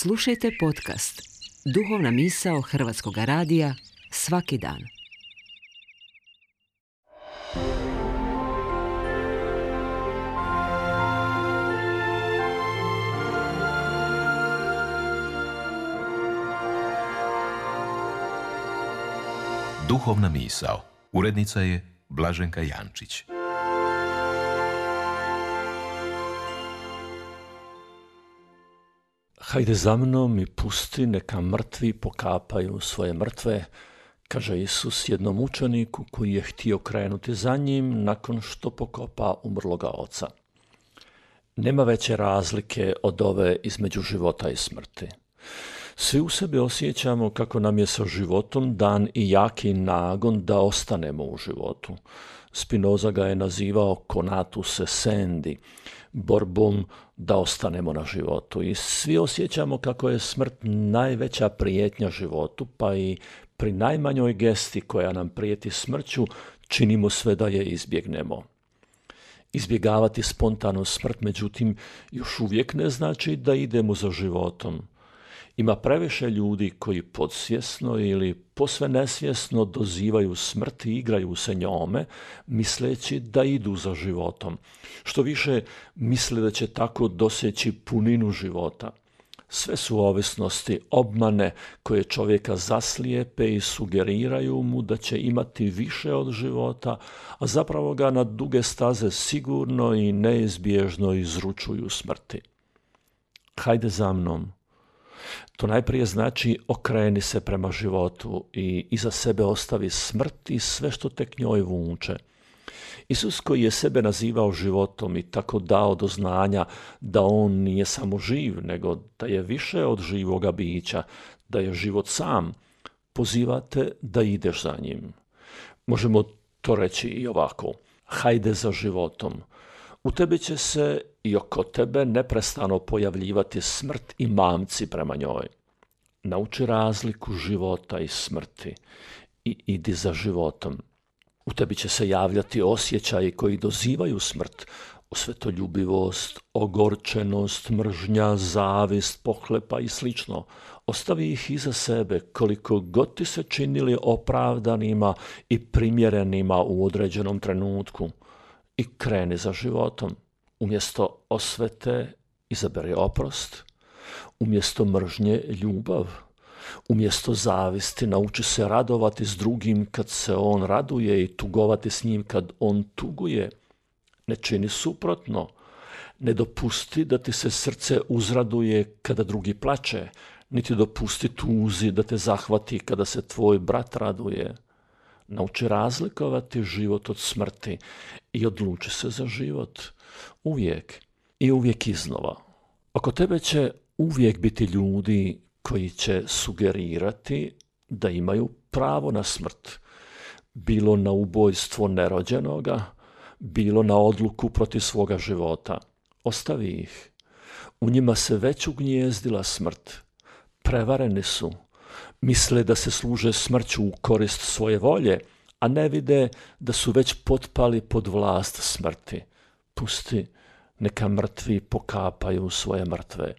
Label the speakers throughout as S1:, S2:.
S1: Slušajte podcast Duhovna misao Hrvatskog radija svaki dan.
S2: Duhovna misao. Urednica je Blaženka Jančić.
S3: Hajde za mnom i pusti neka mrtvi pokapaju svoje mrtve, kaže Isus jednom učeniku koji je htio krenuti za njim nakon što pokopa umrloga oca. Nema veće razlike od ove između života i smrti. Svi u sebi osjećamo kako nam je sa životom dan i jaki nagon da ostanemo u životu. Spinoza ga je nazivao conatus essendi, borbom da ostanemo na životu. I svi osjećamo kako je smrt najveća prijetnja životu, pa i pri najmanjoj gesti koja nam prijeti smrću činimo sve da je izbjegnemo. Izbjegavati spontanu smrt, međutim, još uvijek ne znači da idemo za životom. Ima previše ljudi koji podsvjesno ili posve nesvjesno dozivaju smrt i igraju se njome, misleći da idu za životom. Što više, misle da će tako doseći puninu života. Sve su ovisnosti, obmane koje čovjeka zaslijepe i sugeriraju mu da će imati više od života, a zapravo ga na duge staze sigurno i neizbježno izručuju smrti. Hajde za mnom. To najprije znači okreni se prema životu i iza sebe ostavi smrt i sve što tek njoj vuče. Isus koji je sebe nazivao životom i tako dao do znanja da on nije samo živ, nego da je više od živoga bića, da je život sam, pozivate da ideš za njim. Možemo to reći i ovako: hajde za životom. U tebi će se i oko tebe neprestano pojavljivati smrt i mamci prema njoj. Nauči razliku života i smrti i idi za životom. U tebi će se javljati osjećaji koji dozivaju smrt, osvetoljubivost, ogorčenost, mržnja, zavist, pohlepa i sl. Ostavi ih iza sebe koliko god ti se činili opravdanima i primjerenima u određenom trenutku. I kreni za životom. Umjesto osvete izaberi oprost, umjesto mržnje ljubav, umjesto zavisti nauči se radovati s drugim kad se on raduje i tugovati s njim kad on tuguje. Ne čini suprotno. Ne dopusti da ti se srce uzraduje kada drugi plače, niti dopusti tuzi da te zahvati kada se tvoj brat raduje. Nauči razlikovati život od smrti i odluči se za život. Uvijek i uvijek iznova. Oko tebe će uvijek biti ljudi koji će sugerirati da imaju pravo na smrt. Bilo na ubojstvo nerođenoga, bilo na odluku protiv svoga života. Ostavi ih. U njima se već ugnjezdila smrt. Prevareni su. Misle da se služe smrću u korist svoje volje, a ne vide da su već potpali pod vlast smrti. Pusti, neka mrtvi pokapaju svoje mrtve.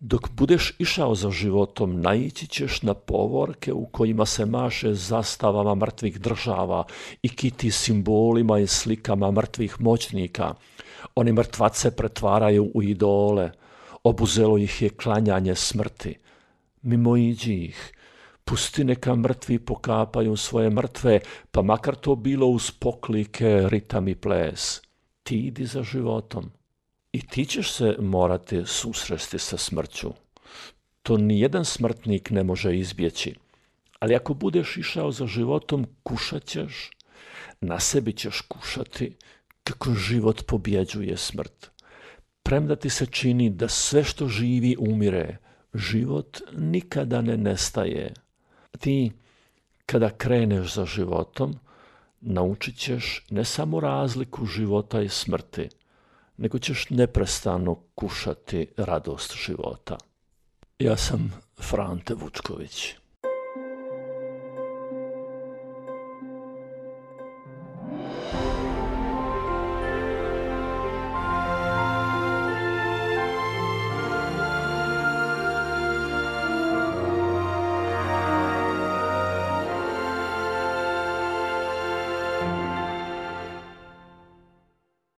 S3: Dok budeš išao za životom, naići ćeš na povorke u kojima se maše zastavama mrtvih država i kiti simbolima i slikama mrtvih moćnika. Oni mrtvace pretvaraju u idole. Obuzelo ih je klanjanje smrti. Mimoiđi ih, pusti neka mrtvi pokapaju svoje mrtve, pa makar to bilo uz poklike, ritam i ples. Ti idi za životom. I ti ćeš se morati susresti sa smrću. To nijedan smrtnik ne može izbjeći. Ali ako budeš išao za životom, kušat ćeš, na sebi ćeš kušati kako život pobjeđuje smrt. Premda ti se čini da sve što živi umire, život nikada ne nestaje. Ti, kada kreneš za životom, naučit ćeš ne samo razliku života i smrti, nego ćeš neprestano kušati radost života. Ja sam Frante Vučković.